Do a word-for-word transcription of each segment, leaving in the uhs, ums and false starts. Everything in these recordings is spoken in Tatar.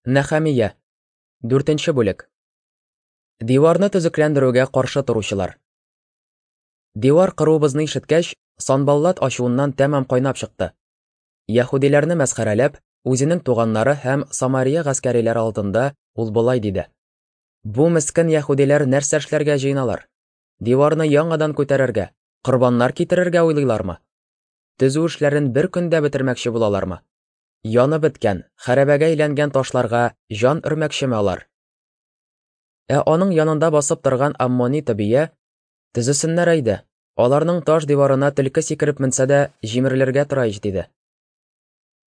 Нәхәмия. Дүртенче бүлек. Диварны төзекләндерүгә каршы торучылар. Дивар кыруыбызны ишеткәч, Санбаллат ачуыннан тәмам кайнап чыкты. Яһүдиләрне мәсхәрәләп, үзенең туганнары һәм Самария гаскәриләре алдында ул болай диде: Бу мескен яһүдиләр нәрсә эшләргә җыеналар? Диварны яңадан күтәрергә, корбаннар китерергә уйлыйлармы? Төзү эшләрен бер көндә бетермәкче булалармы? Янып беткән, хәрабәгә әйләнгән ташларга җан өрмәкчеме алар? Ә аның янында басып торган Аммони Тобия: "Төзесеннәр әйдә, аларның таш диварына төлке сикереп менсә дә, җимерелергә тора ич", диде.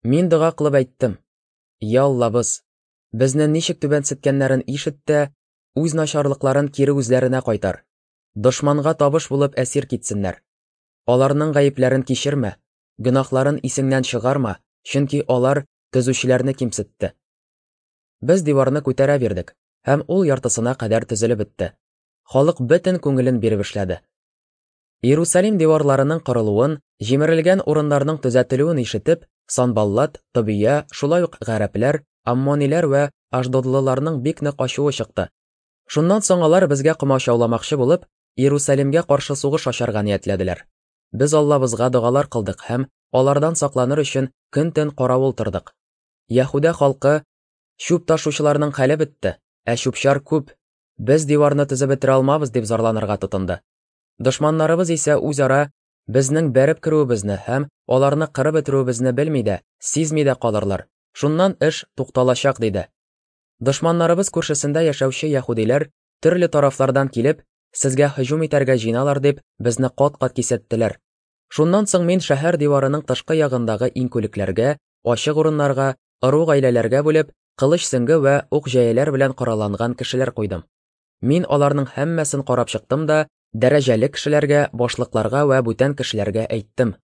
Мин дога кылып әйттем: "Я Аллабыз, безне ничек түбәнсеткәннәрен ишет тә, үз начарлыкларын кире үзләренә кайтар. Дошманга табыш булып әсир китсеннәр. Аларның гаепләрен кичермә, гөнаһларын исеңнән чыгарма, чөнки алар төзүчеләрне кимсетте". Без диварны күтәрә бирдек, һәм ул яртысына кадәр төзелеп бетте. Халык бөтен күңелен биреп эшләде. Иерусалим диварларының корылуын, җимерелгән урыннарның төзәтелүен ишетеп, Санбаллат, Тобия, шулай ук гарәпләр, аммониләр вә ашдодлыларның бик нык ачуы чыкты. Шуннан соң алар безгә комачауламакчы булып, Иерусалимгә каршы сугыш ачарга ниятләделәр. Без Аллабызга догалар кылдык һәм алардан сакланыр өчен көн-төн каравыл тордык. Яһүдә халкы: "Чүп ташучыларның хәле бетте, ә чүп-чар күп. Без диварны төзеп бетерә алмабыз", дип зарланырга тотынды. Дошманнарыбыз исә үзара безнең бәреп керүебезне һәм аларны кырып бетерүебезне белми дә, сизми дә калырлар. Шуннан эш тукталачак, диде. Дошманнарыбыз күршесендә яшәүче яһүдиләр төрле тарафлардан килеп, сезгә һөҗүм итәргә җыеналар дип, безне кат-кат кисәттеләр. Шуннан соң мин шәһәр диварының тышкы ягындагы иңкүлекләргә, ачык урыннарга, ыру гаиләләргә бүлеп, кылыч сөңге вә ук җәяләр белән коралланган кешеләр куйдым. Мин аларның һәммәсен карап чыктым да, дәрәҗәле кешеләргә, башлыкларга вә бүтән кешеләргә әйттем: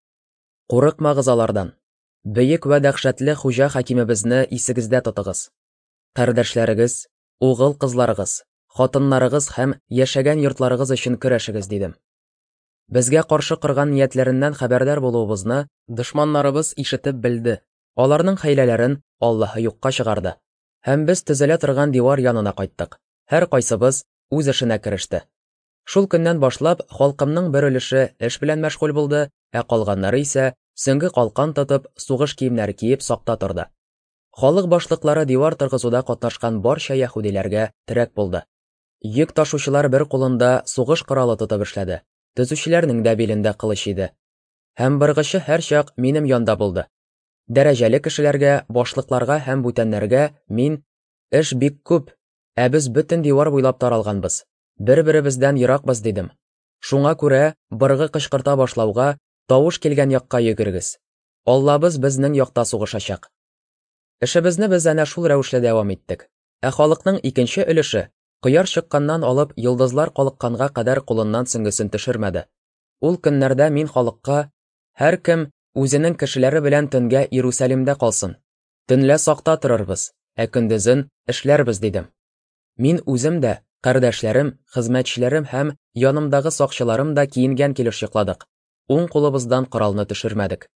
"Курыкмагыз алардан. Бөек вә дәһшәтле хуҗа хакимебезне исегездә тотыгыз. Кардәшләрегез, угыл кызларыгыз, хатыннарыгыз һәм яшәгән йортларыгыз өчен көрәшегез", дидем. Безгә каршы корган ниятләреннән хәбәрдар булуыбызны дошманнарыбыз ишетеп белде. Аларның хәйләләрен Аллаһы юкка чыгарды. Һәм без төзелә торган дивар янына кайттык. Һәр кайсыбыз үз эшенә кереште. Шул көннән башлап халкымның бер өлеше эш белән мәшгуль булды, ә калганнары исә сөңге калкан тотып, сугыш киемнәре киеп сакта торды. Халык башлыклары дивар торгызуда катнашкан барча яһүдиләргә терәк булды. Йөк ташучылар бер кулында сугыш коралы тотып эшләде. Төзүчеләрнең дә билендә кылыч иде. Һәм быргычы һәрчак минем янда булды. Дәрәҗәле кешеләргә, башлыкларга һәм бүтәннәргә мин: "Эш бик күп, ә без бөтен дивар буйлап таралганбыз, бер-беребездән еракбыз", дидем. Шуңа күрә быргы кычкырта башлауга тавыш килгән якка йөгерегез. Аллабыз безнең якта сугышачак. Эшебезне без әнә шул рәвешле дәвам иттек. Ә халыкның икенче өлеше кояш чыкканнан алып йолдызлар калыкканга кадәр кулыннан сөңгесен төшермәде. Ул көннәрдә мин халыкка: "Һәркем үзенең кешеләре белән төнгә Иерусалимдә калсын. Төнлә сакта торырбыз, ә көндезен эшләрбез", дидем. Мин үзем дә, кардәшләрем, хезмәтчеләрем һәм янымдагы сакчыларым да киенгән килеш йокладык. Уң кулыбыздан коралны төшермәдек.